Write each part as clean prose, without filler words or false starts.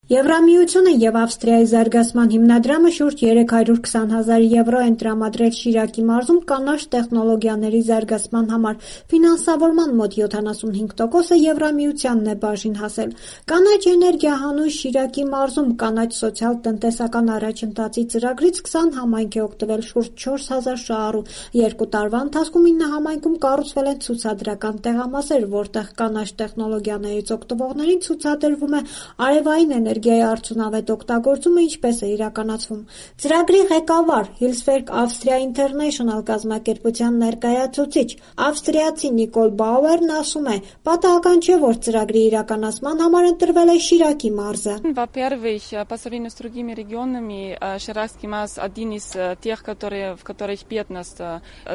Եվրամիությունը և Ավստրիայի զարգացման հիմնադրամը շուրջ 320,000 եվրո են տրամադրել Շիրակի մարզում կանաչ տեխնոլոգիաների զարգացման համար, ֆինանսավորման մոտ 75%-ը Եվրամիությանն է բաժին հասել։ Կանաչ էներգիա հանուն Շիրակի մարզում կանաչ սոցիալ-տնտեսական առաջընթացի ծրագրից 20 համայնք է օգտվել շուրջ 4,000 շահառու։ 2 տարվա ընթացքում 9 համայնքում կառուցվել են ցուցադրական տեղամասեր, որտեղ կանաչ տեխնոլոգիաներից օգտվողներին ցուցադրվում է արևային էներգիայի արդյունավետ օգտագործումը ինչպես է իրականացվում։ Ծրագրի ղեկավար, Hilswerk Austria International կազմակերպության ներկայացուցիչ, ավստրիացի Նիկոլ Բաուերն ասում է, պատահական չէ, որ ծրագրի իրականացման համար ընտրվել է Շիրակի մարզը։ Во-первых, по сравнению с другими регионами, Ширакский марз один из тех, в которых бедность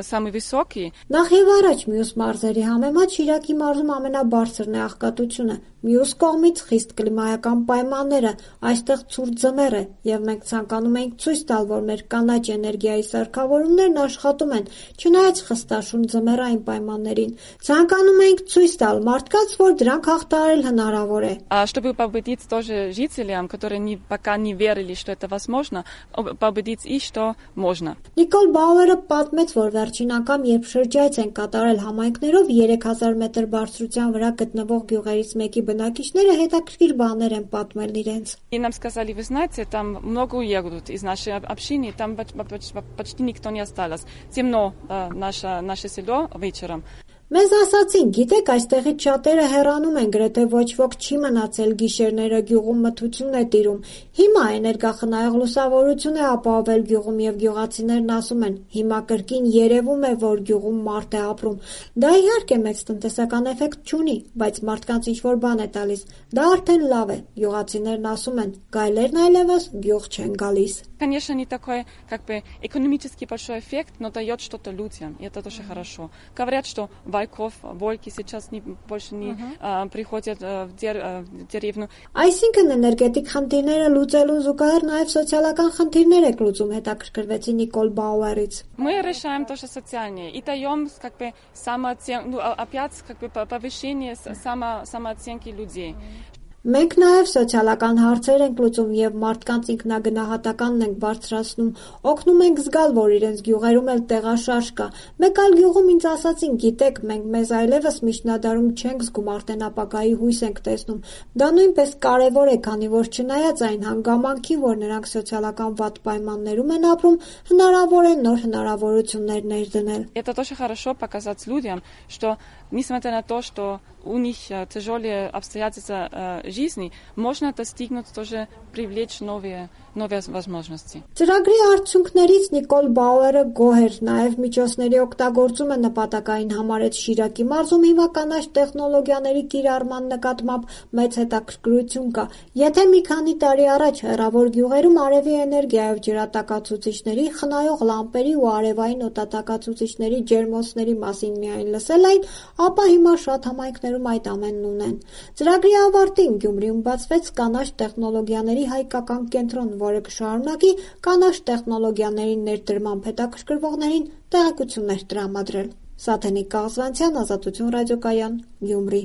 самый высокий. Նախ եւ առաջ մյուս մարզերի համեմատ Շիրակի մարզում ամենաբարձրն է աղքատությունը։ Մյուս կողմից խիստ կլիմայական պայմանները, այստեղ ցուրտ ձմեռ է, եւ մենք ցանկանում ենք ցույց տալ, որ մեր կանաչ էներգիայի սարքավորումներն աշխատում են, չնայած խստաշուն ձմեռային պայմաններին։ Ցանկանում ենք ցույց տալ մարդկանց, որ դրանք հաղթահարել հնարավոր է։ Чтобы победить тоже жителям, которые пока не верили, что это возможно, победить их, что можно. Նիկոլ Բաուերը պատմեց, որ վերջին անգամ, երբ շրջայց են կատարել համայնքներով 3000 մետր բարձրության վրա գտնվող գյուղերից մեկի բնակիչները հետաքրքիր բաներ են պատմել իրենց։ И нам сказали, вы знаете, там много уедут из нашей общины, там почти никто не осталось. Темно наше село вечером. Մեզ ասացին, գիտեք, այստեղից շատերը հեռանում են, գրեթե ոչ ոք չի մնացել, գիշերները գյուղում մթություն է տիրում։ Հիմա էներգախնայող լուսավորություն է ապահովել գյուղում եւ գյուղացիներն ասում են, հիմա կրկին երևում է, որ գյուղում մարդ է ապրում։ Դա իհարկե մեծ տնտեսական էֆեկտ չունի, բայց մարդկանց ինչ-որ բան է տալիս։ Դա արդեն լավ է։ Գյուղացիներն ասում են, գայլերն այլևս գյուղ չեն գալիս։ Конечно, не такой, экономический большой эффект, но дает что-то людям, и это тоже хорошо. Говорят, что волки сейчас больше не приходят в деревню. Այսինքն էներգետիկ խնդիրները լուծելուն զուգահեռ նաև социальական խնդիրներ եք լուծում, հետաքրքրվեցի Նիկոլ Բաուերից։ Мы решаем тоже социальные и даем самооценку, опять повышение самооценки людей. Մենք նաև սոցիալական հարցեր ենք լուծում եւ մարդկանց ինքնագնահատականն ենք բարձրացնում, օգնում ենք զգալ, որ իրենց գյուղերում էլ տեղաշարժ կա։ Մեկ այլ գյուղում ինձ ասացին, գիտեք, մենք մեզ այլևս միջնադարում չենք զգում, արդեն ապագայի հույս ենք տեսնում։ Դա նույնպես կարևոր է, քանի որ չնայած այն հանգամանքին, որ նրանք սոցիալական վատ պայմաններում են апրում, հնարավոր է нոր հնարավորություններ ներդնել։ Это тоже хорошо показать людям, что несмотря на то, что у них тяжелые обстоятельства жизни, можно достигнуть тоже привлечь новые возможности. Ծրագրի արդյունքներից Նիկոլ Բաուերը գոհ էր, նաև միջոցների օգտագործումը նպատակային համարեց Շիրակի մարզում հիմա կանաչ տեխնոլոգիաների կիրառման նկատմամբ մեծ հետաքրքրություն կա։ Եթե մի քանի տարի առաջ հեռավոր գյուղերում արևի էներգիայով ջրատակացուցիչների, խնայող լամպերի ու արևային օդատակացուցիչների ջերմոցների մասին միայն լսել էին, ապա հիմա շատ համայնքներում այդ ամենն ունեն։ Ծրագրի ավարտին Գյումրիում բացվեց կանաչ տեխնոլոգիաների հայկական կենտրոն, որը կշարունակի կանաչ տեխնոլոգիաների ներդրմամբ հետաքրքրվողներին տեղեկություններ տրամադրել։ Սաթենիկ Կաղզվանցյան, Ազատություն ռադիոկայան, Գյումրի։